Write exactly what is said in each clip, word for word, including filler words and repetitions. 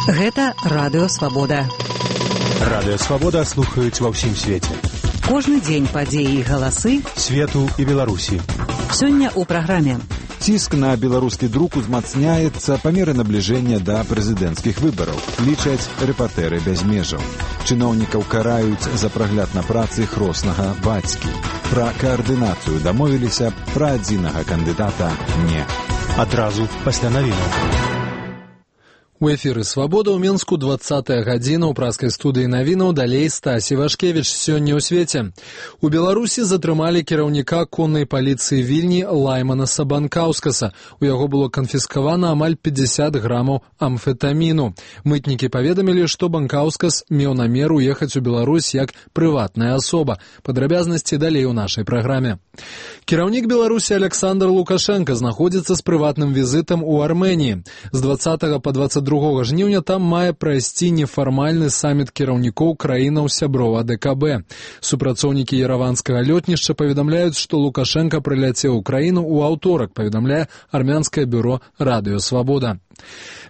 Гэта Радыё Свабода. Радыё Свабода слухаюць ва ўсім свеце. Кожны дзень падзеі і галасы свету і Беларусі. Сёння ў праграме. Ціск на беларускі друк узмацняецца па меры набліжэння да прэзідэнцкіх выбараў, лічаць рэпартэры без межаў. Чыноўнікаў караюць за прагляд на працы хроснага бацькі. Пра каардынацыю дамовіліся, пра адзінага кандыдата не. Адразу пасля навінаў. У эфіры «Свабода» ў Мінску двадцатая гадзіна ў праскай студыі навінаў, далей Стасі Вашкевіч. Сёння ў свеце. У Беларусі затрымалі кіраўніка коннай паліцыі Вільні Лаймана Сабанкаўскаса. У яго было канфіскавана амаль пятьдесят грамаў амфетаміну. Мытнікі паведамілі, што Банкаўскас меў намер уехаць у Беларусь як прыватная асоба. Падрабязнасці далей у нашай праграме. Кіраўнік Беларусі Александр Лукашенко знаходзіцца з прыватным візітам у Арменіі. З двадцатага па двадцать другога жніўня там мае прайсці нефармальны саміт кіраўнікоў краінаў сяброў А Дэ Ка Бэ. Супрацоўнікі ераванскага лётнішча паведамляюць, што Лукашенко прыляцеў у краіну ў аўторак, паведамляе армянскае бюро Радыё Свабода.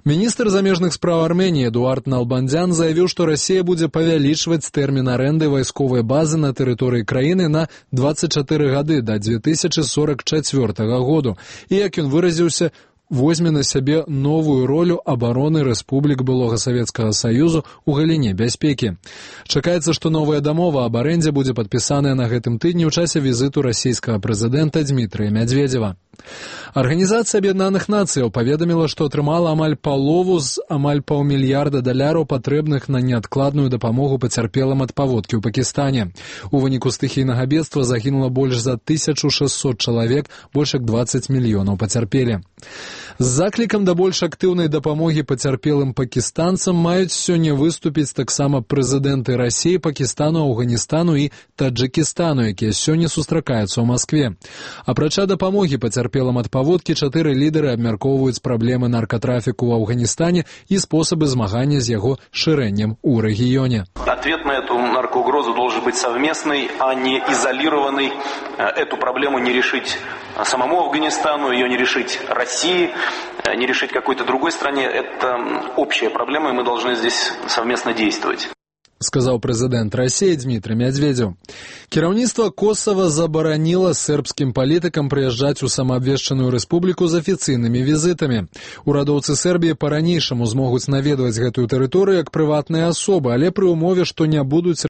Міністр замежных спраў Арменіі Эдуард Налбандзян заявіў, што Расія будзе павялічваць тэрмін арэнды вайсковай базы на тэрыторыі краіны на двадцать чатыры гады да две тысячи сорок чацвёртага году. І, як ён выразіўся, возьме на сябе новую ролю абароны рэспублік былога Савецкага Саюзу ў галіне бяспекі. Чакаецца, што новая дамова аб арэндзе будзе падпісаная на гэтым тыдні ў часе візіту расійскага прэзідэнта Дмітрыя Мядзведзева. Арганізацыя Аб'яднаных Нацыяў паведаміла, што атрымала амаль палову з амаль паўмільярда даляраў, патрэбных на неадкладную дапамогу пацярпелым ад паводкі ў Пакістане. У выніку стыхійнага бедства загінула больш за тысячу шэсцьсот чалавек, больш як двадцать мільёнаў пацярпелі. З заклікам да больш актыўнай дапамогі пацярпелым пакістанцам маюць сёння выступіць таксама прэзідэнты Расіі, Пакістану, Афганістану і Таджыкістану, якія сёння сустракаюцца ў Маскве. Апрача дапамогі пацярпелым ад паводкі, чатыры лідары абмяркоўваюць праблемы наркатрафіку ў Афганістане і спосабы змагання з яго шырэннем у рэгіёне. Ответ на эту наркоугрозу должен быть совместный, а не изолированный. Эту проблему не решить самому Афганистану, ее не решить России, не решить какой-то другой стране. Это общая проблема, и мы должны здесь совместно действовать. Сказаў прэзідэнт Расіі Дмітрый Мядзведзеў. Кіраўніцтва Косава забараніла сербскім палітыкам прыязджаць у самаабвешчаную рэспубліку з афіцыйнымі візітамі. Урадоўцы Сербіі па-ранейшаму змогуць наведваць гэтую тэрыторыю як прыватныя асобы, але пры ўмове, што не будуць